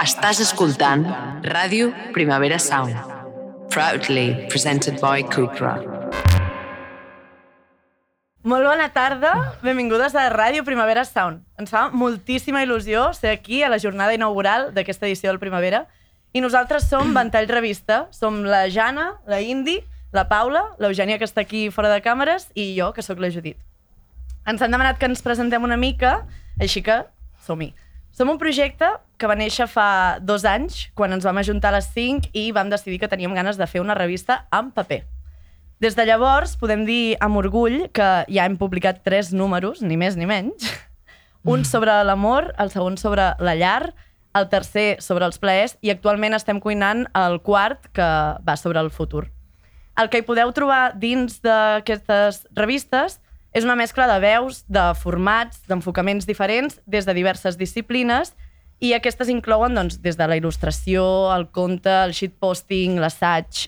Estàs escoltant Ràdio Primavera Sound, proudly presented by Cupra. Molt bona tarda, benvingudes a Ràdio Primavera Sound. Ens fa moltíssima il·lusió ser aquí a la jornada inaugural d'aquesta edició del Primavera i nosaltres som Ventall Revista. Som la Jana, la Indi, la Paula, l'Eugènia, que està aquí fora de càmeres, i jo, que sóc la Judit. Ens han demanat que ens presentem una mica, així que som-hi. Som un projecte que va néixer fa 2 anys, quan ens vam ajuntar a les 5 i vam decidir que teníem ganes de fer una revista en paper. Des de llavors, podem dir amb orgull que ja hem publicat 3 números, ni més ni menys. Un sobre l'amor, el segon sobre la llar, el tercer sobre els plaers, i actualment estem cuinant el quart, que va sobre el futur. El que hi podeu trobar dins d'aquestes revistes és una mescla de veus, de formats, d'enfocaments diferents des de diverses disciplines, i aquestes inclouen des de la il·lustració, el conte, el shitposting, l'assaig,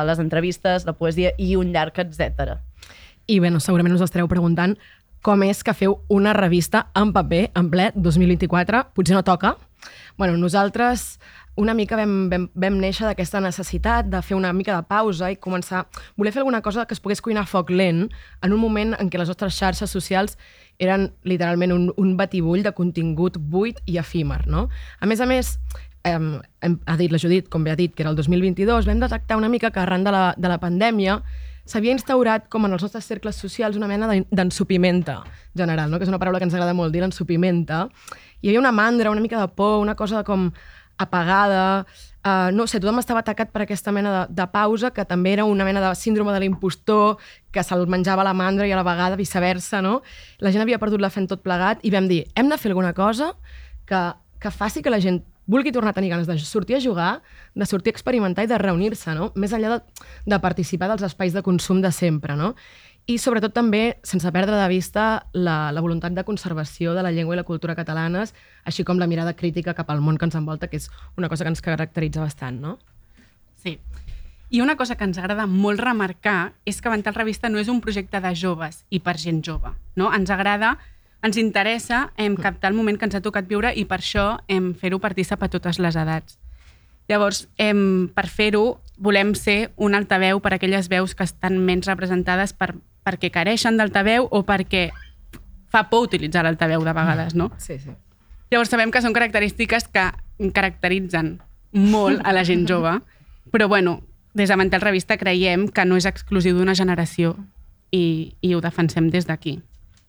les entrevistes, la poesia i un llarg, etc. I bé, segurament us estareu preguntant com és que feu una revista en paper en ple 2024. Potser no toca. Bueno, nosaltres una mica vam néixer d'aquesta necessitat de fer una mica de pausa i començar a voler fer alguna cosa que es pogués cuinar a foc lent en un moment en què les nostres xarxes socials eren literalment un batibull de contingut buit i efímer, no? A més, ha dit la Judit, com bé ha dit, que era el 2022, vam detectar una mica que arran de la pandèmia s'havia instaurat com en els nostres cercles socials una mena d'ensupimenta general, no? Que és una paraula que ens agrada molt dir, l'ensupimenta. Hi havia una mandra, una mica de por, una cosa com apagada, no sé, tothom estava atacat per aquesta mena de pausa, que també era una mena de síndrome de l'impostor, que se'l menjava la mandra i a la vegada viceversa, no? La gent havia perdut la fe en tot plegat i vam dir, hem de fer alguna cosa que faci que la gent vulgui tornar a tenir ganes de sortir a jugar, de sortir a experimentar i de reunir-se, no? Més enllà de participar dels espais de consum de sempre, no? I sobretot també, sense perdre de vista la voluntat de conservació de la llengua i la cultura catalanes, així com la mirada crítica cap al món que ens envolta, que és una cosa que ens caracteritza bastant, no? Sí. I una cosa que ens agrada molt remarcar és que Ventall Revista no és un projecte de joves i per gent jove, no? Ens interessa captar el moment que ens ha tocat viure i per això fer-ho partícip a totes les edats. Llavors, per fer-ho, volem ser un altaveu per a aquelles veus que estan menys representades perquè careixen d'altaveu o perquè fa por utilitzar l'altaveu de vegades, no? Sí, sí. Llavors, sabem que són característiques que caracteritzen molt a la gent jove, però bueno, des de Ventall Revista creiem que no és exclusiu d'una generació i ho defensem des d'aquí.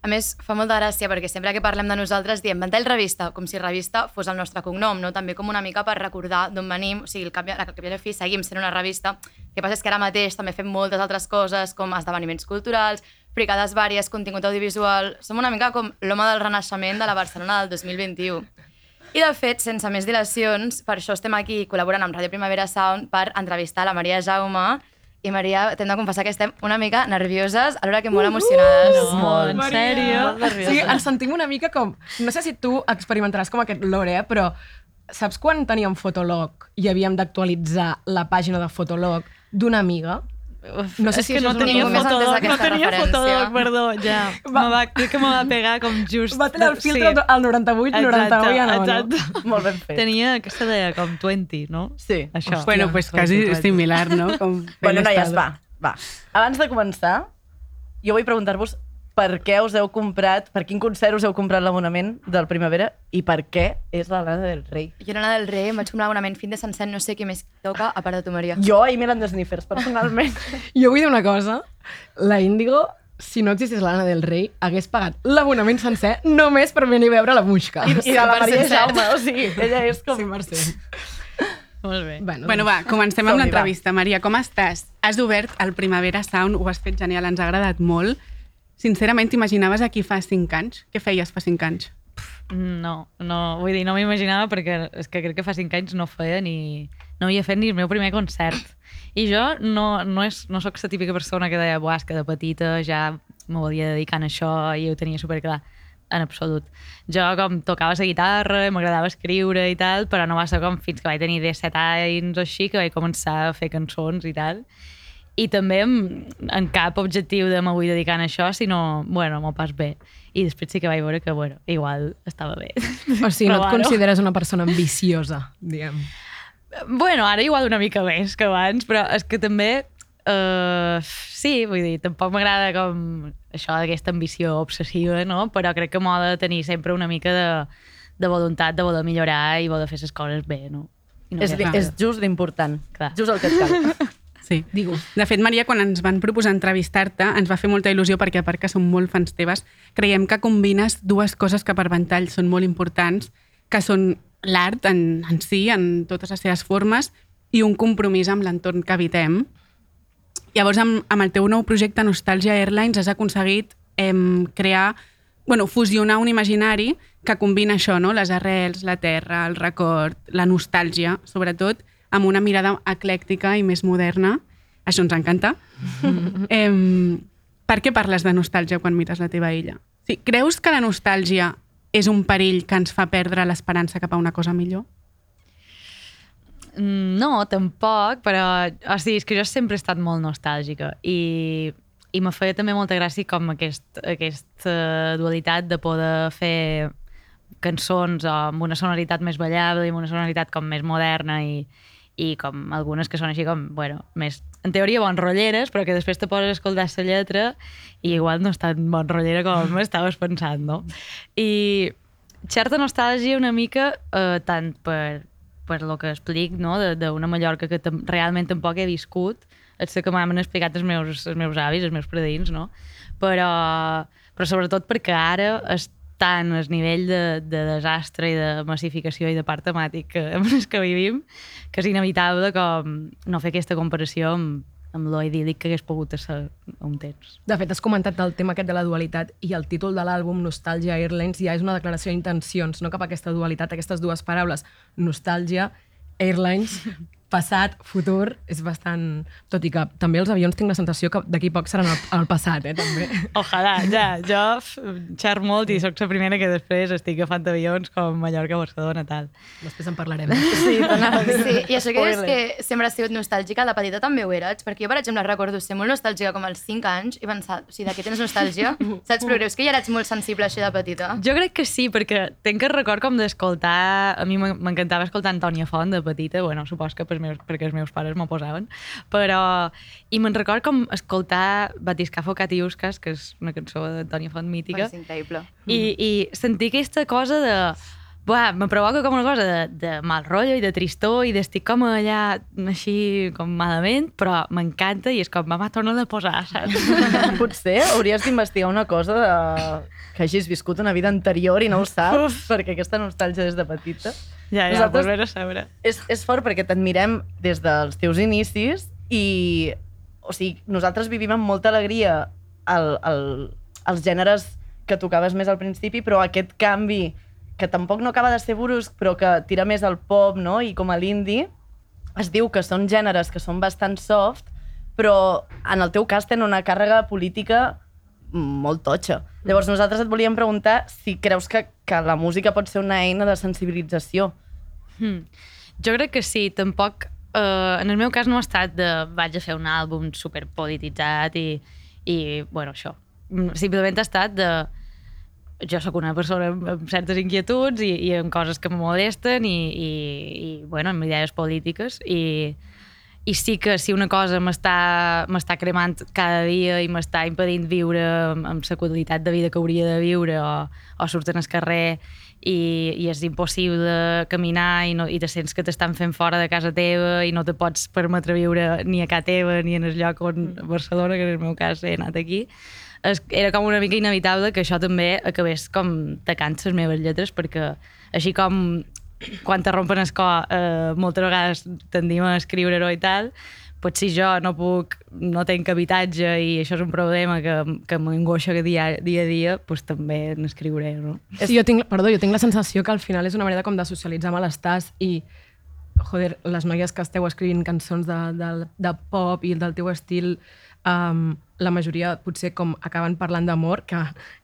A més, fa molta gràcia perquè sempre que parlem de nosaltres diem Ventall Revista, com si revista fos el nostre cognom, no? També com una mica per recordar d'on venim, o sigui, al cap i a la fi seguim sent una revista. El que passa és que ara mateix també fem moltes altres coses, com esdeveniments culturals, fricades vàries, contingut audiovisual. Som una mica com l'home del renaixement de la Barcelona del 2021. I de fet, sense més dilacions, per això estem aquí col·laborant amb Ràdio Primavera Sound per entrevistar la Maria Jaume. I Maria, t'hem de confessar que estem una mica nervioses, alhora que molt emocionades. Molt, en sèrio? Sí, ens sentim una mica com... No sé si tu experimentaràs com aquest lore, però saps quan teníem Fotolog i havíem d'actualitzar la pàgina de Fotolog d'una amiga? No sé si no tenia Fotolog, perdó, ja. Crec que me va pegar com just... Va tenir el filtre al 98, 99 ja no. Exacte. Molt ben fet. Tenia aquesta de com 20, no? Sí. Això. Bueno, pues quasi similar, no? Bueno, noies, va. Abans de començar, jo vull preguntar-vos per què us heu comprat, per quin concert us heu comprat l'abonament del Primavera i per què és la Lana del Rei. Jo Lana del Rei em vaig comprar l'abonament fin de sencer, no sé què més toca a part de tu, Maria. Jo i Milan Sniffers, personalment. Jo vull dir una cosa, la Índigo, si no existís la Lana del Rei, hagués pagat l'abonament sencer només per venir a veure la Muixca. I de la Maria Jaume, o sigui, ella és com... 100%. Molt bé. Bueno, va, comencem amb l'entrevista. Maria, com estàs? Has obert el Primavera Sound, ho has fet genial, ens ha agradat molt. Sincerament, t'imaginaves aquí fa 5 anys? Què feies fa 5 anys? No, vull dir, no m'imaginava perquè és que crec que fa 5 anys no havia fet ni el meu primer concert. I jo no soc la típica persona que deia, és que de petita ja m'ho havia dedicat a això i ho tenia superclar. En absolut. Jo com tocava la guitarra, m'agradava escriure i tal, però no va ser com fins que vaig tenir 17 anys o així que vaig començar a fer cançons i tal. I també en cap objectiu de m'ho vull dedicar a això, sinó, bueno, m'ho pas bé. i després sí que vaig veure que, bueno, igual estava bé. O sigui, no et Provar-ho. consideres una persona ambiciosa, diguem. Bueno, ara igual una mica més que abans, però és que també sí, vull dir, tampoc m'agrada com això d'aquesta ambició obsessiva, no? Però crec que m'ho ha de tenir sempre una mica de voluntat de voler millorar i voler fer les coses bé, no? I no És just l'important. Clar. Just el que et cal. Sí. De fet, Maria, quan ens van proposar entrevistar-te, ens va fer molta il·lusió perquè, a part que som molt fans teves, creiem que combines dues coses que per Ventall són molt importants, que són l'art en si, en totes les seves formes, i un compromís amb l'entorn que habitem. Llavors, amb el teu nou projecte Nostàlgia Airlines has aconseguit crear, fusionar un imaginari que combina això, no? Les arrels, la terra, el record, la nostàlgia, sobretot, amb una mirada eclèctica i més moderna. Això ens encanta. Per què parles de nostàlgia quan mires la teva illa? Sí, creus que la nostàlgia és un perill que ens fa perdre l'esperança cap a una cosa millor? No, tampoc, però o sigui, és que jo sempre he estat molt nostàlgica i me feia també molta gràcia com aquesta dualitat de poder fer cançons amb una sonoritat més ballable i amb una sonoritat com més moderna i com algunes que són així com, més, en teoria bon rolleres, però que després te poses a escoltar la lletra i igual no és tan bon rollera com estaves pensant, no? I certa nostàlgia una mica, tant per el que explic, no? D'una Mallorca que realment tampoc he viscut, és que m'han explicat els meus avis, els meus predins, no? Però sobretot perquè ara és tant el nivell de desastre i de massificació i de part temàtic amb els que vivim, que és inevitable com no fer aquesta comparació amb lo idíl·lic que hagués pogut ser un temps. De fet, has comentat el tema aquest de la dualitat i el títol de l'àlbum Nostàlgia Airlines ja és una declaració d'intencions, no cap a aquesta dualitat, aquestes dues paraules, nostàlgia, Airlines, passat, futur, és bastant... Tot i que també els avions tinc la sensació que d'aquí poc seran el passat, també. Ojalà, ja. Jo xer molt i soc la primera que després estic agafant avions com Mallorca, Barcelona, tal. Després en parlarem. Sí, i això que dius que sempre has sigut nostàlgica, de petita també ho eres, perquè jo, per exemple, recordo ser molt nostàlgica com als 5 anys i pensar, o sigui, de què tens nostàlgia? Saps? Però creus que ja eres molt sensible així de petita? Jo crec que sí, perquè tenc el record com d'escoltar... A mi m'encantava escoltar Antònia Font de petita, supos que perquè els meus pares m'ho posaven, però... I me'n record com escoltar Batiscafo Catiuscas, que és una cançó d'Antònia Font mítica. És increïble. I sentir aquesta cosa de... me provoca com una cosa de mal rotllo i de tristor i d'estic com allà així com malament, però m'encanta i és com, mama, torna-la a posar, saps? Potser hauries d'investigar una cosa que hagis viscut una vida anterior i no ho saps, perquè aquesta nostàlgia des de petita. Ja, pues vés a saber. És fort perquè t'admirem des dels teus inicis i, o sigui, nosaltres vivim amb molta alegria els gèneres que tocaves més al principi, però aquest canvi que tampoc no acaba de ser brusc, però que tira més al pop, no? I com a l'indie, es diu que són gèneres que són bastant soft, però en el teu cas tenen una càrrega política molt totxa. Llavors nosaltres et volíem preguntar si creus que la música pot ser una eina de sensibilització. Jo crec que sí, tampoc... en el meu cas no ha estat de vaig a fer un àlbum superpolititzat i això. Simplement ha estat de... Jo sóc una persona amb certes inquietuds i amb coses que me molesten i amb idees polítiques i sí que si una cosa m'està cremant cada dia i m'està impedint viure amb la qualitat de vida que hauria de viure o surten al carrer i és impossible caminar i te sents que t'estan fent fora de casa teva i no te pots permetre viure ni a casa teva ni en el lloc on Barcelona, que en el meu cas he anat aquí, era com una mica inevitable que això també acabés com tacant les meves lletres, perquè així com quan te rompen el cor moltes vegades tendim a escriure-ho i tal, potser si jo no tenc habitatge i això és un problema que m'angoixa dia a dia, doncs també n'escriuré, no? Sí, jo tinc la sensació que al final és una manera com de socialitzar malestars i, joder, les noies que esteu escrivint cançons de pop i del teu estil la majoria potser com acaben parlant d'amor, que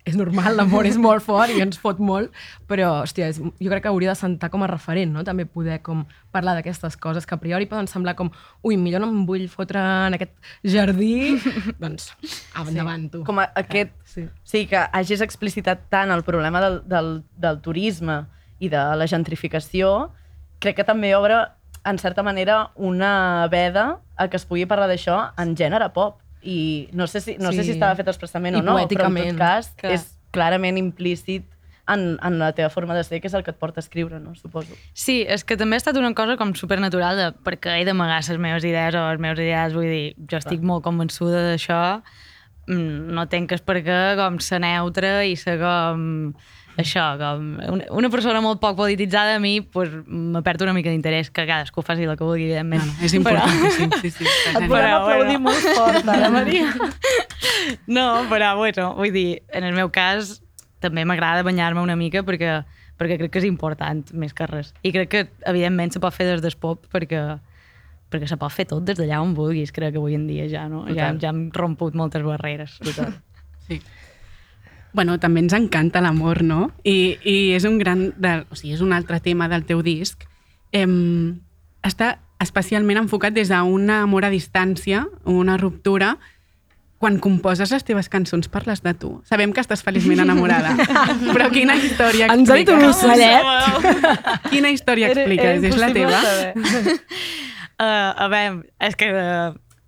és normal, l'amor és molt fort i ens fot molt, però, hòstia, jo crec que hauria de sentar com a referent, no? També poder com parlar d'aquestes coses que a priori poden semblar com ui, millor no em vull fotre en aquest jardí, doncs, endavant, tu. Com aquest... Sí, que hagis explicitat tant el problema del turisme i de la gentrificació, crec que també obre, en certa manera, una veda a que es pugui parlar d'això en gènere pop. I no sé si estava fet expressament o no, però en tot cas és clarament implícit en la teva forma de ser, que és el que et porta a escriure, no? Suposo. Sí, és que també ha estat una cosa com supernatural perquè he d'amagar les meves idees o els meus ideals, vull dir, jo estic molt convençuda d'això, no tenc és perquè com ser neutra i ser com això, com una persona molt poc polititzada a mi pues, me perd una mica d'interès, que cadascú faci el que vulgui, evidentment. És important, sí. Et volem aplaudir molt fort, ara, Maria. No, però, bueno, vull dir, en el meu cas també m'agrada banyar-me una mica perquè crec que és important, més que res. I crec que, evidentment, se pot fer des del pop perquè se pot fer tot des d'allà on vulguis, crec que avui en dia ja, no? Ja hem romput moltes barreres. Total. Sí. Bueno, també ens encanta l'amor, no? I és un és un altre tema del teu disc. Està especialment enfocat des d'un amor a distància, una ruptura. Quan composes les teves cançons parles de tu. Sabem que estàs feliçment enamorada, però quina història expliques? Ens ha dit un ocellet. Quina història expliques? És la teva? A veure, és que...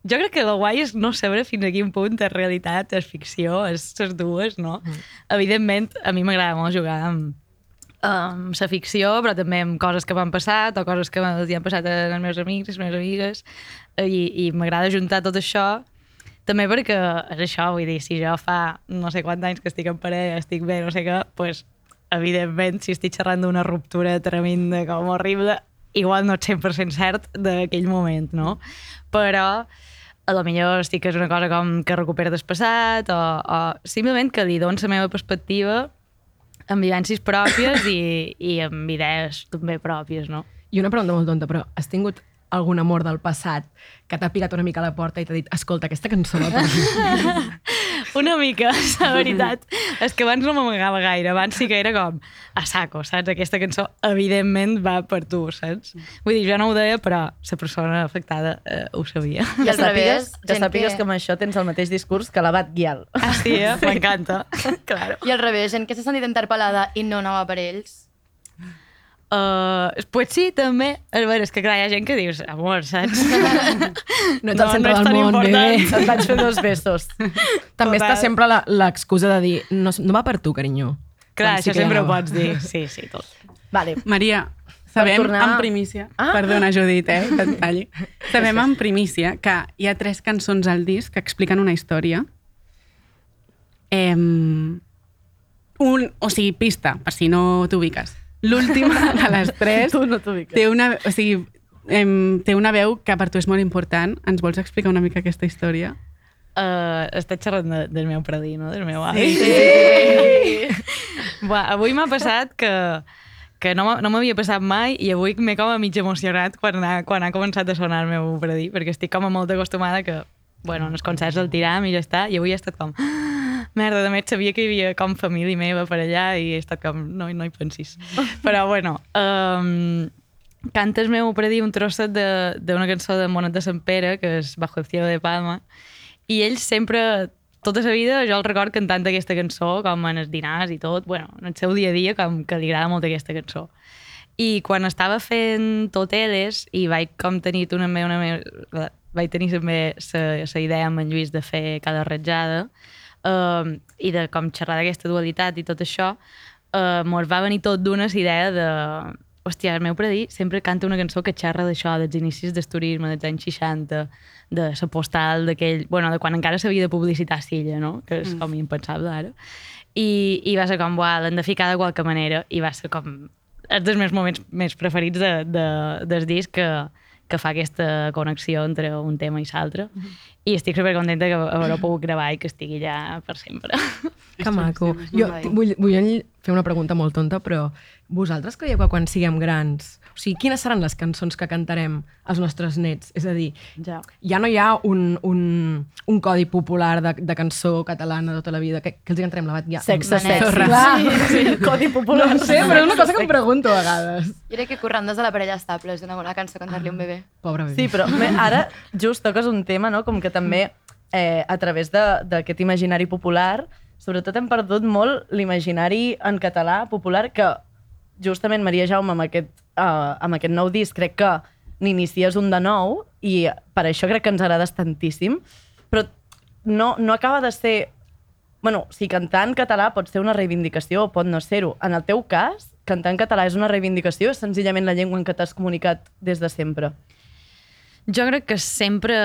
Jo crec que el guai és no saber fins a quin punt és realitat, és ficció, és les dues, no? Evidentment, a mi m'agrada molt jugar amb la ficció, però també amb coses que m'han passat o coses que han passat als meus amics, les meves amigues, i m'agrada juntar tot això, també perquè és això, vull dir, si jo fa no sé quants anys que estic en parella, estic bé, no sé què, doncs, evidentment, si estic xerrant d'una ruptura tremenda com horrible, igual no ets 100% cert d'aquell moment, no? Però a lo millor estic que és una cosa com que recupera del passat o simplement que li dono la meva perspectiva amb vivències pròpies i amb idees també pròpies, no? I una pregunta molt tonta, però has tingut algun amor del passat que t'ha picat una mica a la porta i t'ha dit escolta, aquesta cançó va per mi? Una mica, la veritat. És que abans no m'amagava gaire, abans sí que era com a saco, saps? Aquesta cançó evidentment va per tu, saps? Vull dir, jo no ho deia, però la persona afectada ho sabia. I al revés, que sàpigues que amb això tens el mateix discurs que l'Abat Guial. Ah, sí, m'encanta. Claro. I al revés, gent que s'ha sentit interpel·lada i no anava per ells. Pues sí, també. A veure, és que clar, hi ha gent que dius, amor, saps? No ets el centre del món, bebè. Et vaig fer 2 besos. També està sempre l'excusa de dir no va per tu, carinyo. Clar, Sí això que sempre ho anava. pots dir. Sí, tot. Vale. Maria, sabem tornar- en primícia... Perdona, Judit, que et talli. Sabem en primícia que hi ha 3 cançons al disc que expliquen una història. O sigui, pista, per si no t'ubiques. L'última de les 3 Tu no t'ubiques. té una veu que per tu és molt important. Ens vols explicar una mica aquesta història? Estàs xerrant del meu predí, no? Del meu avi. Sí. Avui m'ha passat que no m'havia passat mai i avui m'he com a mig emocionat quan ha començat a sonar el meu predí, perquè estic com a molt acostumada que, bueno, en els concerts el tiram i ja està, i avui he estat com... Merda, de més sabia que hi havia com família meva per allà i he estat com, no hi pensis. Però bueno, canta el meu predí un trosset d'una cançó de Monet de Sant Pere, que és Bajo el cielo de Palma, i ell sempre, tota la vida, jo el record cantant aquesta cançó, com en els dinars i tot, bueno, en el seu dia a dia, com que li agrada molt aquesta cançó. I quan estava fent Toteles i vaig com tenir vaig tenir també la idea amb en Lluís de fer cada ratjada, i de com xerrar d'aquesta dualitat i tot això, mos va venir tot d'una idea de hòstia, el meu predí sempre canta una cançó que xerra d'això, dels inicis del turisme dels anys 60, de la postal d'aquell, bueno, de quan encara s'havia de publicitar Silla, no? Que és com impensable ara. I va ser com, l'hem de ficar de qualque manera, i va ser com és dels meus moments més preferits del disc que fa aquesta connexió entre un tema i l'altre. I estic supercontenta que haver-ho pogut gravar i que estigui allà per sempre. Que maco. Jo vull fer una pregunta molt tonta, però vosaltres creieu que quan siguem grans... O sigui, quines seran les cançons que cantarem als nostres nets? És a dir, ja no hi ha un codi popular de cançó catalana de tota la vida. Què els cantarem? Sexe. Sí, Codi popular. No sé, però és una cosa que em pregunto a vegades. Jo crec que Corrandes de la parella estable és una bona cançó cantar-li un bebè. Pobre bebè. Sí, però ara just toques un tema, no? Com que també a través d'aquest imaginari popular, sobretot hem perdut molt l'imaginari en català popular, que justament Maria Jaume amb aquest nou disc crec que n'inicies un de nou i per això crec que ens agrades tantíssim, però no acaba de ser... Bueno, si cantar en català pot ser una reivindicació o pot no ser-ho. En el teu cas, cantar en català és una reivindicació o és senzillament la llengua en què t'has comunicat des de sempre? Jo crec que sempre,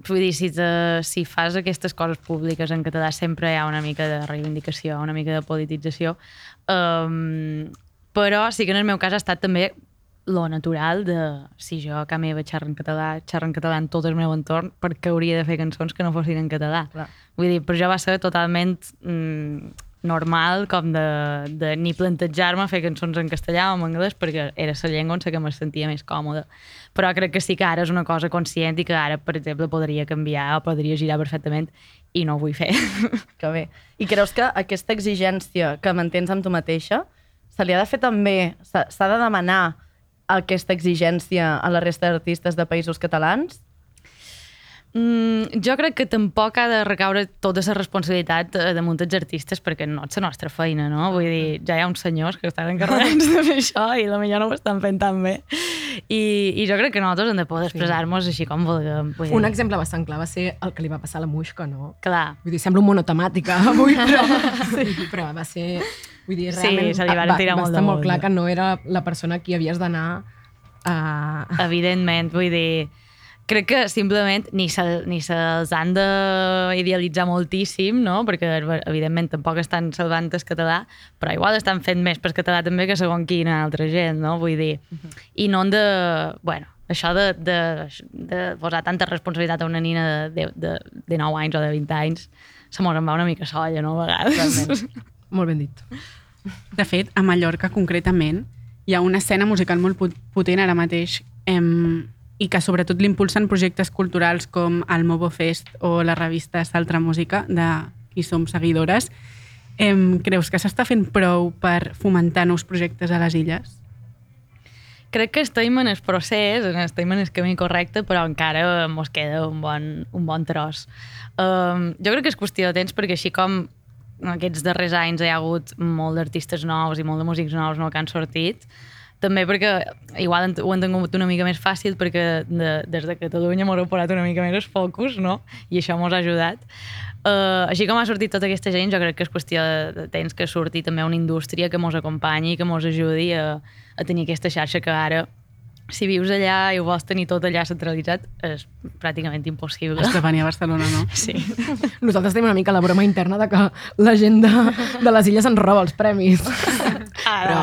vull dir, si fas aquestes coses públiques en català sempre hi ha una mica de reivindicació, una mica de politització, però sí que en el meu cas ha estat també lo natural de, si jo a casa meva xerro en català en tot el meu entorn, perquè hauria de fer cançons que no fossin en català. Clar. Vull dir, per jo va ser totalment normal com de ni plantejar-me fer cançons en castellà o en anglès perquè era la llengua on que me sentia més còmoda. Però crec que sí que ara és una cosa conscient i que ara, per exemple, podria canviar o podria girar perfectament i no ho vull fer. Que bé. I creus que aquesta exigència que mantens amb tu mateixa se li ha de fer també, s'ha de demanar aquesta exigència a la resta d'artistes de països catalans? Jo crec que tampoc ha de recaure tota la responsabilitat damunt dels artistes perquè no és la nostra feina, no? Vull dir, ja hi ha uns senyors que estan encarregats de fer això i potser no ho estan fent tan bé. I jo crec que nosaltres hem de poder expressar-nos així com vulguem. Un exemple bastant clar va ser el que li va passar a la Muixca, no? Clar. Vull dir, sembla un monotemàtica avui, però va ser... Vull dir, realment se li van tirar molt de estar molt clar que no era la persona a qui havies d'anar a... Evidentment, vull dir... Crec que simplement ni se'ls han d'idealitzar moltíssim, no? Perquè evidentment tampoc estan salvant el català, però igual estan fent més per català també que segons quina altra gent, no? Vull dir, i no han de... Bueno, això de posar tanta responsabilitat a una nina de 9 anys o de 20 anys se mos en va una mica solla, no? A vegades. Molt ben dit. De fet, a Mallorca concretament hi ha una escena musical molt potent ara mateix i que sobretot l'impulsen projectes culturals com el Mobo Fest o la revista Saltra Música, de qui som seguidores. Creus que s'està fent prou per fomentar nous projectes a les illes? Crec que estem en el procés, estem en el camí correcte, però encara mos queda un bon tros. Jo crec que és qüestió de temps, perquè així com aquests darrers anys hi ha hagut molt d'artistes nous i molt de músics nous que han sortit, també perquè igual ho han tingut una mica més fàcil perquè des de Catalunya m'ho heu posat una mica més el focus, no? I això m'ho ha ajudat. Així com ha sortit tota aquesta gent, jo crec que és qüestió de temps que surti també una indústria que mos acompanyi i que mos ajudi a tenir aquesta xarxa que ara, si vius allà i ho vols tenir tot allà centralitzat, és pràcticament impossible. Has de venir a Barcelona, no? Sí. Nosaltres tenim una mica la broma interna de que la gent de les illes ens roba els premis. Però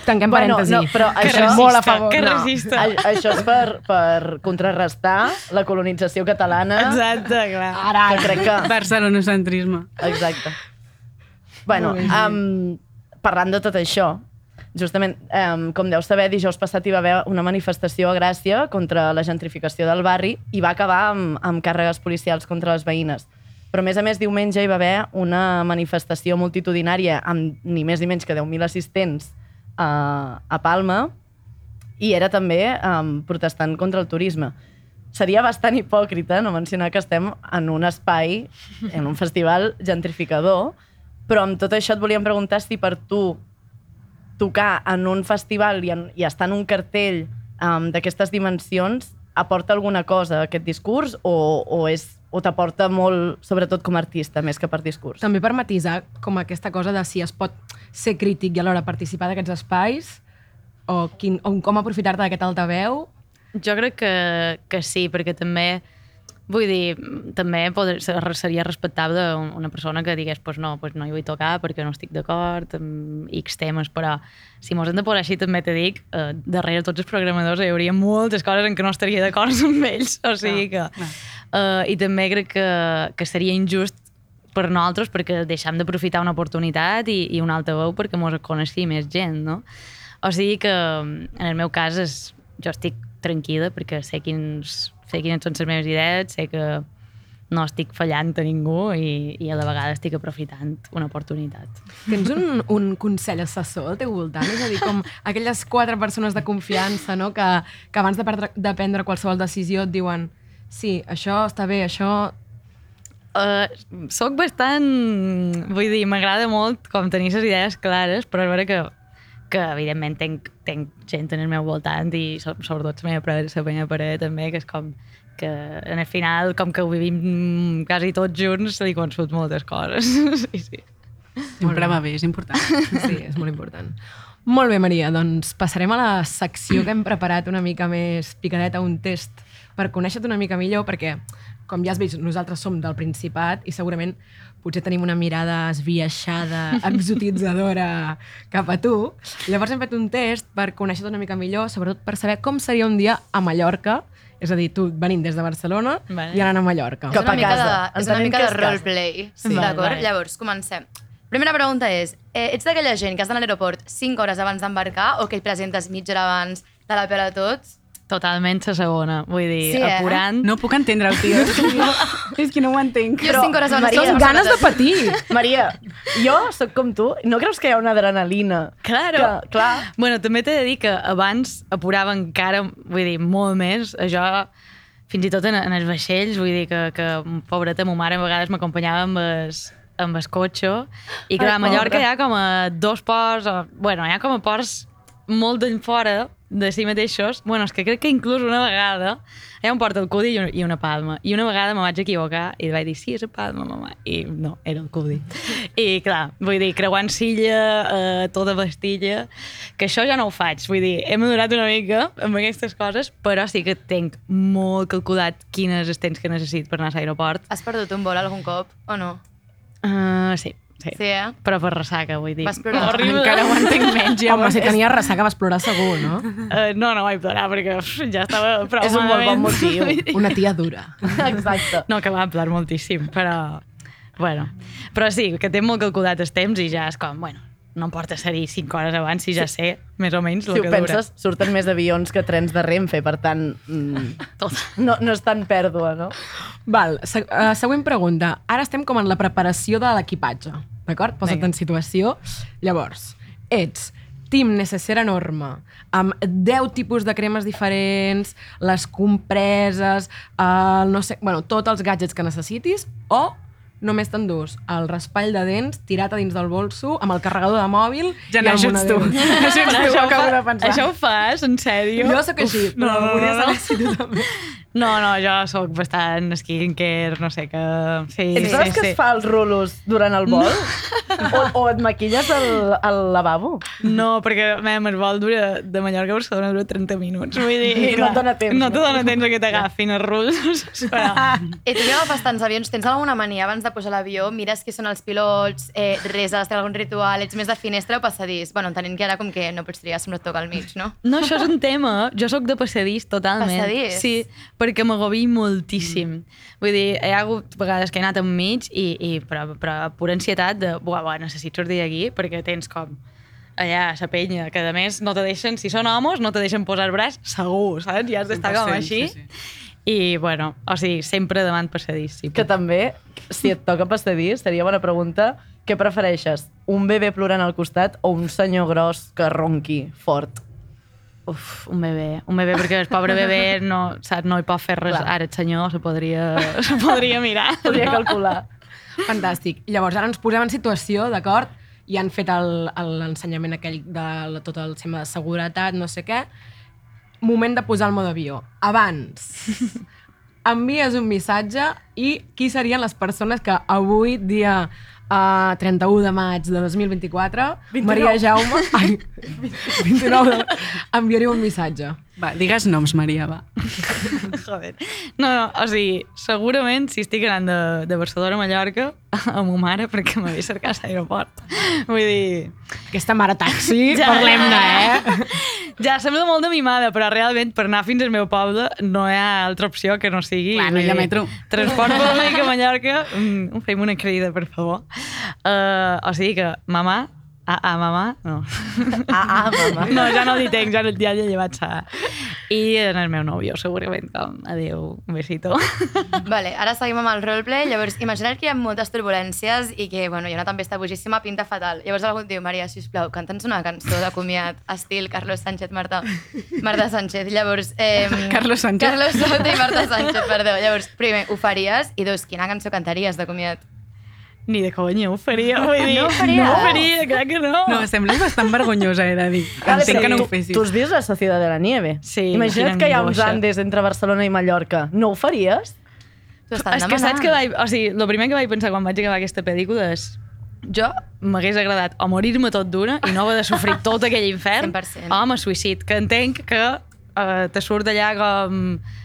tanquem parèntesi. No, però que això, molt a favor. Que resista. Això és per contrarrestar la colonització catalana. Exacte, clar. Ara, que crec que... Barcelonocentrisme. Exacte. Bueno, parlant de tot això, justament, com deu saber, dijous passat hi va haver una manifestació a Gràcia contra la gentrificació del barri i va acabar amb càrregues policials contra les veïnes. Però, a més, diumenge hi va haver una manifestació multitudinària amb ni més ni menys que 10.000 assistents a Palma i era també protestant contra el turisme. Seria bastant hipòcrita no mencionar que estem en un espai, en un festival gentrificador, però amb tot això et volíem preguntar si per tu tocar en un festival i estar en un cartell d'aquestes dimensions aporta alguna cosa a aquest discurs o t'aporta molt, sobretot com a artista, més que per discurs? També per matisar com aquesta cosa de si es pot ser crític i alhora participar d'aquests espais o com aprofitar-te d'aquest altaveu. Jo crec que sí, perquè també, vull dir, també seria respectable una persona que digués no hi vull tocar perquè no estic d'acord amb X temes, però si mos hem de posar així també te dic, darrere tots els programadors hi hauria moltes coses en què no estaria d'acord amb ells, o sigui que... I també crec que seria injust per nosaltres perquè deixem d'aprofitar una oportunitat i un altaveu perquè mos coneixi més gent, no? O sigui que, en el meu cas, jo estic tranquil·la perquè sé quines són les meves idees, sé que no estic fallant a ningú i a la vegada estic aprofitant una oportunitat. Tens un consell assessor al teu voltant? És a dir, com aquelles 4 persones de confiança, no? que abans de prendre qualsevol decisió et diuen sí, això està bé, això... Soc bastant... Vull dir, m'agrada molt com tenir les idees clares, però és vera que evidentment tenc gent en el meu voltant i sobretot la meva parella també, que és com que en el final, com que ho vivim quasi tots junts, se li consut moltes coses. Sí. Sempre va bé, és important. Sí, és molt important. Molt bé, Maria, doncs passarem a la secció que hem preparat una mica més picadeta, un test per conèixer-te una mica millor, perquè, com ja has vist, nosaltres som del Principat i segurament potser tenim una mirada esbiaixada, exotitzadora cap a tu. Llavors hem fet un test per conèixer-te una mica millor, sobretot per saber com seria un dia a Mallorca, és a dir, tu venint des de Barcelona i anant a Mallorca. Cap a casa. És una mica de roleplay, Sí. d'acord? Vale. Llavors, comencem. Primera pregunta és, ets d'aquella gent que has d'anar a l'aeroport 5 hores abans d'embarcar o que et presentes mitja hora abans de la pela tots? Totalment la segona, vull dir, Sí, apurant... No puc entendre-ho, tio. És que no ho entenc. Jo 5 hores abans... Maria, totes les Ganes de persones- patir! Maria, jo sóc com tu. No creus que hi ha una adrenalina? Claro. Clar. Bueno, també t'he de dir que abans apurava encara, vull dir, molt més. Jo, fins i tot en els vaixells, vull dir que pobreta, ma mare a vegades m'acompanyava amb el cotxe. I clar, a Mallorca hi ha com a 2 ports, bueno, hi ha com a ports molt d'en fora de si mateixos. Bueno, és que crec que inclús una vegada hi ha un port al Cudi i una Palma. I una vegada me vaig equivocar i vaig dir, sí, és a Palma, mama. I no, era el Cudi. I clar, vull dir, creuant Silla, tota Bastilla, que això ja no ho faig. Vull dir, he madurat una mica amb aquestes coses, però sí que tenc molt calculat quines els temps que necessit per anar a l'aeroport. Has perdut un vol algun cop o no? Sí. Sí, eh? Però per ressaca, vull dir. Vas plorar. Horrible. Encara ho entenc menys. Home, si tenies ressaca vas plorar segur, no? No vaig plorar perquè ja estava prou És un molt bon motiu. Una tia dura. Exacte. No, que va plorar moltíssim, però... Bueno, però sí, que té molt calculat els temps i ja és com, bueno, no em porta ser-hi 5 hores abans si ja sé més o menys Si el ho que penses, surten més avions que trens de Renfe, per tant, Tot. no és tan pèrdua, no? Val, següent pregunta. Ara estem com en la preparació de l'equipatge, d'acord? Posa't Vinga. en situació. Llavors, ets team necessera enorme, amb 10 tipus de cremes diferents, les compreses, no sé, bueno, tots els gadgets que necessitis, o només t'endús el raspall de dents tirat a dins del bolso amb el carregador de mòbil Ja i el n'ajuts tu. monedero. N'ajuts tu, acabo de pensar. Això ho fas, en sèrio? Jo sóc així, però volia saber si tu també. No, jo sóc bastant skincare, no sé, que... Sí, Ets de les que es fa els rulos durant el vol? O et maquilles al lavabo? No, perquè el vol dura de Mallorca a Barcelona dura 30 minuts. Vull dir, I no et dona temps, No te no? dona temps a que t'agafin els ruls. Però... I tu que agafes tants avions, tens alguna mania abans de pujar a l'avió? Mires qui són els pilots, reses, tens algun ritual, ets més de finestra o passadís? Bueno, entenent que ara com que no pots triar si no et toca al mig, no? No, això és un tema. Jo sóc de passadís, totalment. Passadís? Sí, perquè m'agobi moltíssim. Vull dir, hi ha hagut vegades que he anat enmig però pura ansietat de, buah, necessito sortir d'aquí, perquè tens com allà a la penya, que a més no te deixen, si són homes, no te deixen posar el braç segur, saps? Ja has d'estar com 100%, així. sí. I, bueno, o sigui, sempre davant passadís. Sí, Que també, si et toca passadís, seria bona pregunta, què prefereixes? Un bebè plorant al costat o un senyor gros que ronqui fort? Uf, un bebè, perquè el pobre bebè no, saps, no hi pot fer res. Clar. Ara el senyor se podria mirar. Podria calcular. Fantàstic. Llavors, ara ens posem en situació, d'acord? I han fet l'ensenyament aquell de tot el tema de seguretat, no sé què. Moment de posar el mode avió. Abans, envies un missatge i qui serien les persones que avui, dia 31 de maig de 2024, 29. Maria Jaume... Ai, 29 enviaria un missatge. Va, digues noms, Maria, va. Joder. No, o sigui, segurament si estic anant de Barcelona a Mallorca amb ma mare perquè m'havia cercat a l'aeroport. Vull dir... Aquesta mare taxi, parlem-ne, Ja, sembla molt de mimada, però realment per anar fins al meu poble no hi ha altra opció que no sigui... Clar, no hi ha metro. Transport públic a Mallorca, fem una crida, per favor. O sigui que, mamà, mamà, no. Mamà. No, ja no li tenc, ja he llevat sa. I en el meu nòvio, segurament, com, adéu, un besito. Vale, ara seguim amb el roleplay. Llavors, imagina't que hi ha moltes turbulències i que, bueno, hi ha una tempesta bojíssima, pinta fatal. Llavors algú et diu, Maria, sisplau, canta'ns una cançó de comiat, estil Carlos Sánchez, Marta Sánchez. Llavors... Carlos Sánchez. Carlos Sánchez i Marta Sánchez, perdó. Llavors, primer, ho faries? I dos, quina cançó cantaries de comiat? Ni de conya ho faria, vull dir. No ho faries? No ho faria, clar que no. No, sembles bastant vergonyosa, he de dir. Entenc que no ho fessis. Tu has vist la Sociedad de la Nieve? Sí, Imagina't quina que hi ha uns angoixa. Andes entre Barcelona i Mallorca. No ho faries? T'ho estan És que saps que o sigui, el primer que vaig pensar quan vaig acabar aquesta pel·lícula és jo m'hagués agradat o morir-me tot d'una i no haver de sofrir tot aquell infern 100%. o me suïcid, que entenc que te surt allà com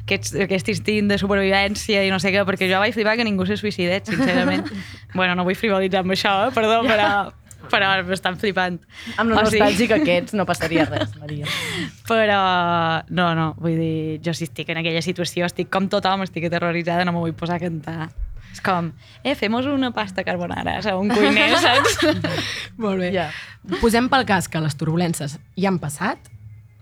aquest instint de supervivència i no sé què, perquè jo vaig flipar que ningú se suïcidés, sincerament. Bueno, no vull frivolitzar amb això, perdó, però m'estan flipant. Amb lo nostàlgic que ets no passaria res, Maria. Però no, vull dir, jo si estic en aquella situació, estic com tothom, estic aterroritzada, no me vull posar a cantar. És com, fem-nos una pasta carbonara, saps? Un cuiner, saps? Molt bé. Ja. Posem pel cas que les turbulències ja han passat,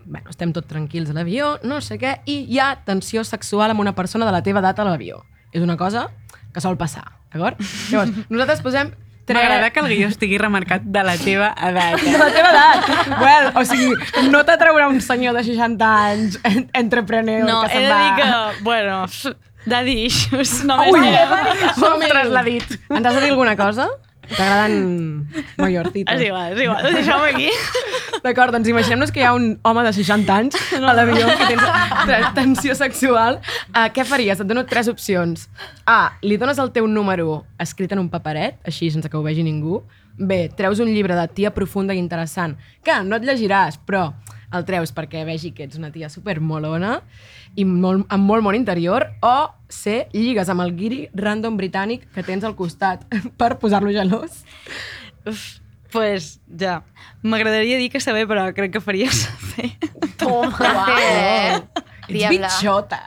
bueno, estem tots tranquils a l'avió, no sé què, i hi ha tensió sexual amb una persona de la teva edat a l'avió. És una cosa que sol passar, d'acord? Llavors, nosaltres posem... M'agrada que el guió estigui remarcat de la teva edat. De la teva edat! Well, o sigui, no t'atraurà un senyor de 60 anys, entrepreneur, No, que he se'n de va... dir que, bueno, daddy issues, només Ui, diré. ostres, l'ha dit. Ens has de dir alguna cosa? T'agraden mayorcitos? És igual, ho deixem aquí. D'acord, doncs imaginem-nos que hi ha un home de 60 anys a l'avió que tens tensió sexual. Què faries? Et dono 3 opcions. A, li dones el teu número escrit en un paperet, així sense que ho vegi ningú. B, treus un llibre de tia profunda i interessant, que no et llegiràs, però el treus perquè vegi que ets una tia supermolona i amb molt món interior. O C, lligues amb el guiri random britànic que tens al costat per posar-lo gelós. Pues ja, m'agradaria dir que saber, però crec que faria saber. Ets Diabla. bitxota.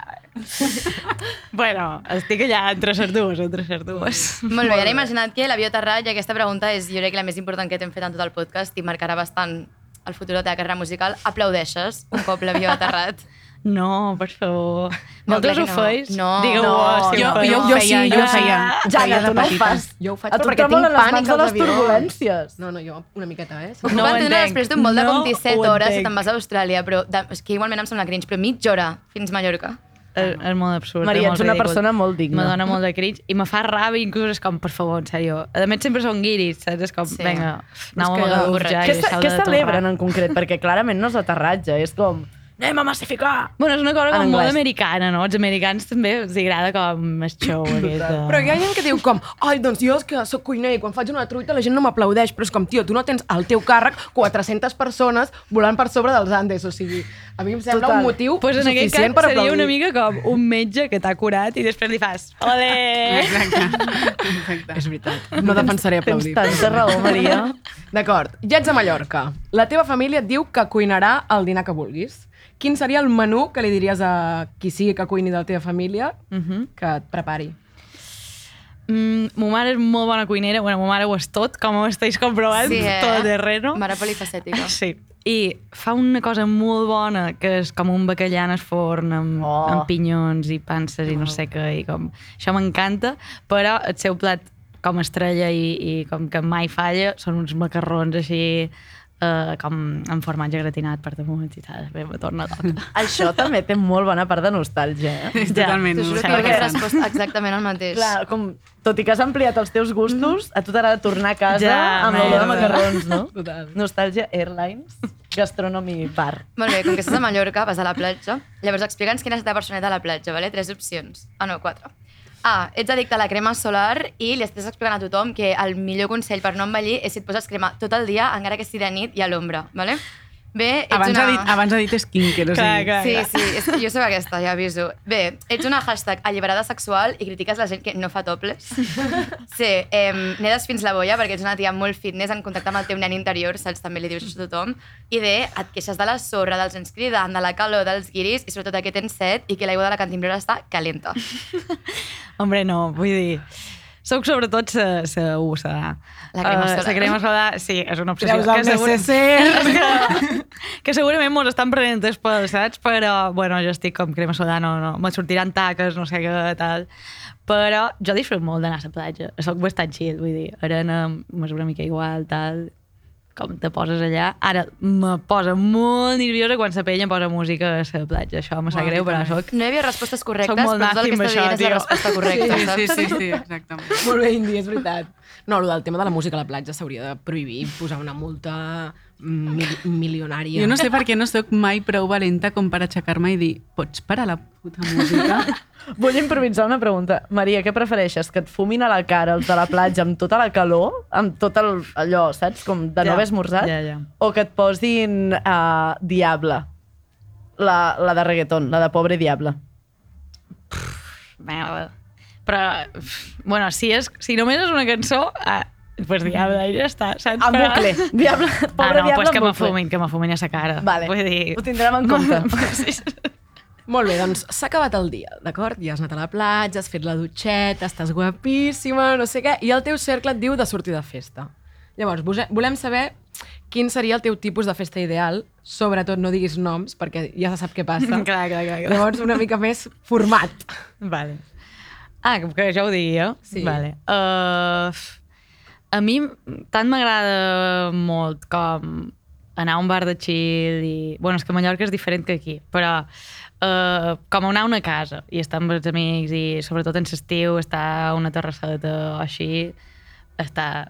Bueno, estic allà entre les dues. Molt bé, ara imagina't que l'avió aterrat i aquesta pregunta és, jo crec, la més important que t'hem fet en tot el podcast i marcarà bastant el futur de la teva carrera musical. Aplaudeixes un cop l'avió ha aterrat? No, per favor. No, Vosaltres clar ho que no. feis? No. Digueu-ho, No, si Jo ho feu. ho feia, jo ho feia. Ja, Feia de tu no ho petita. fas. Jo ho faig A tu perquè tremolen tinc les pànic mans de als les avions. turbulències. No, jo una miqueta, Ho puc No ho entendre entenc. després d'un vol de No 27 ho hores si entenc. te'n vas a Austràlia, però és que igualment em sembla cringe, però mitja hora fins a Mallorca. És molt absurd. Maria, és molt ets una ridícul. persona molt digna. Me dona molt de cringe i me fa ràbia, inclús és com, per favor, en sèrio. A més, sempre són guiris, saps? És com, Sí. vinga, aneu És a que Magaluf ja i Què deixeu de celebren torrar. en concret? Perquè clarament no és aterratge, és com... Anem a massificar! Bueno, és una cosa En com molt anglès. americana, no? Els americans també els agrada com el show aquest. Però hi ha gent que diu com, ai, doncs jo és que soc cuiner i quan faig una truita la gent no m'aplaudeix, però és com, tio, tu no tens al teu càrrec 400 persones volant per sobre dels Andes, o sigui, a mi em sembla Total. un motiu Pues en aquest suficient cas per seria aplaudir. una mica com un metge que t'ha curat i després li fas, ole! Exacte. És veritat, no defensaré Tens aplaudir. tanta raó, Maria. D'acord, ja ets a Mallorca. La teva família et diu que cuinarà el dinar que vulguis. Quin seria el menú que li diries a qui sigui que cuini de la teva família que et prepari? Ma mare és molt bona cuinera, bueno, ma mare ho és tot, com ho estáis comprovant, tot terreno. Mare polifacètica. Sí. I fa una cosa molt bona, que és com un bacallà en el forn, amb pinyons i panses i no sé què, i com... Això m'encanta, però el seu plat com estrella i com que mai falla són uns macarrons així com amb formatge gratinat per damunt i tal. Bé, me torna a tocar. Això també té molt bona part de nostàlgia, eh? Totalment. T'ho juro Sí, que perquè he respost exactament el mateix. Clar, com, tot i que has ampliat els teus gustos, a tu t'agrada tornar a casa Ja, amb l'olor de merda. macarrons, no? Total. Nostàlgia Airlines, Gastronomy Bar. Molt bé, com que estàs a Mallorca, vas a la platja. Llavors explica'ns quina és la teva personalitat a la platja, vale? 3 opcions. Ah, no, 4. A, ets addicte a la crema solar i li estàs explicant a tothom que el millor consell per no envellir és si et poses crema tot el dia, encara que sigui de nit i a l'ombra, vale? Bé, ets Abans, una... abans ha dit skincare, o sigui. Clar. Sí, jo soc aquesta, ja aviso. Bé, ets una hashtag alliberada sexual i critiques la gent que no fa topless. Sí, nedes fins la bolla perquè ets una tia molt fitness en contacte amb el teu nen interior, saps? També li dius això a tothom. I bé, et queixes de la sorra, dels nens cridant, de la calor, dels guiris i sobretot que tens set i que l'aigua de la cantimplora està calenta. Hombre, no, vull dir... Soc sobretot sa USA. La crema solar. La crema solar, sí, és una obsessió. Treus el necesser. Que segurament mos estan prenent els pèls, saps? Però, bueno, jo estic com crema solar, no me sortiran taques, no sé què, tal. Però jo disfruto molt d'anar a la platja. Soc bastant chill, vull dir, arena, m'és una mica igual, tal, com te poses allà. Ara, me posa molt nerviosa quan la penya posa música a la platja. Això me sap greu, però soc... No hi havia respostes correctes, Soc molt però tot el que nazi amb està dient és la això, resposta correcta, saps? Sí, exactament. Molt bé, Indi, és veritat. No, el del tema de la música a la platja s'hauria de prohibir, posar una multa milionària. Jo no sé per què no sóc mai prou valenta com per aixecar-me i dir pots parar la puta música? Vull improvisar una pregunta. Maria, què prefereixes? Que et fumin a la cara els de la platja amb tota la calor, amb tot allò, saps? Com de no haver esmorzat? Ja. O que et posin Diable, la de reggaeton, la de Pobre Diable. Però, bueno, si només és una cançó, pues Diable, ja està, saps? En bucle. Diable, Pobre Diable pues en bucle. que m'afumin a sa cara. Vale, Vull dir... ho tindrem en compte. Sí. Molt bé, doncs s'ha acabat el dia, d'acord? Ja has anat a la platja, has fet la dutxeta, estàs guapíssima, no sé què, i el teu cercle et diu de sortir de festa. Llavors, volem saber quin seria el teu tipus de festa ideal, sobretot no diguis noms, perquè ja se sap què passa. Clar. Llavors, una mica més format. Vale. Que ja ho digui jo? Sí. Vale. A mi tant m'agrada molt com anar a un bar de chill i... Bueno, és que a Mallorca és diferent que aquí, però com anar a una casa i estar amb els amics i sobretot en l'estiu estar a una terrasseta o així,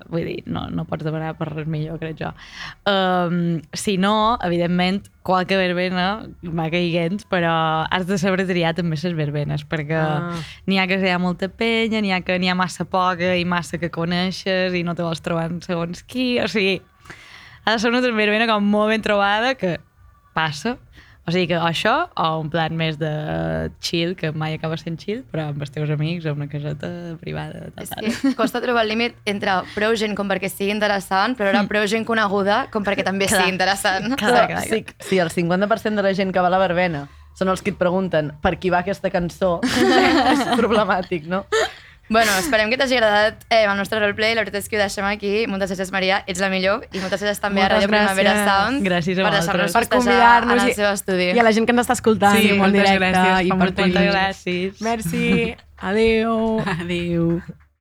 vull dir, no pots demanar per res millor, crec jo. Si no, evidentment, qualque verbena va caiguent, però has de saber triar també les verbenes, perquè n'hi ha que hi ha molta penya, n'hi ha que n'hi ha massa poca i massa que coneixes i no te vols trobar en segons qui, o sigui, ha de ser una verbena com molt ben trobada que passa. O sigui que això, o un plan més de chill, que mai acaba sent chill, però amb els teus amics, a una caseta privada. És que costa trobar el límit entre prou gent com perquè sigui interessant, però ara prou gent coneguda com perquè també sigui interessant. Clar. Si el 50% de la gent que va a la verbena són els que et pregunten per qui va aquesta cançó, és problemàtic, no? Bueno, esperem que t'hagi agradat el nostre roleplay. La veritat és que ho deixem aquí. Moltes gràcies, Maria. Ets la millor. I moltes gràcies també a Ràdio Primavera Sound Gràcies a per vosaltres. deixar-nos Per festejar convidar-nos en el seu estudi. I a la gent que ens està escoltant Sí, en moltes directe gràcies, i fa per molta Twitch. Moltes gràcies. Merci. Adéu. Adéu.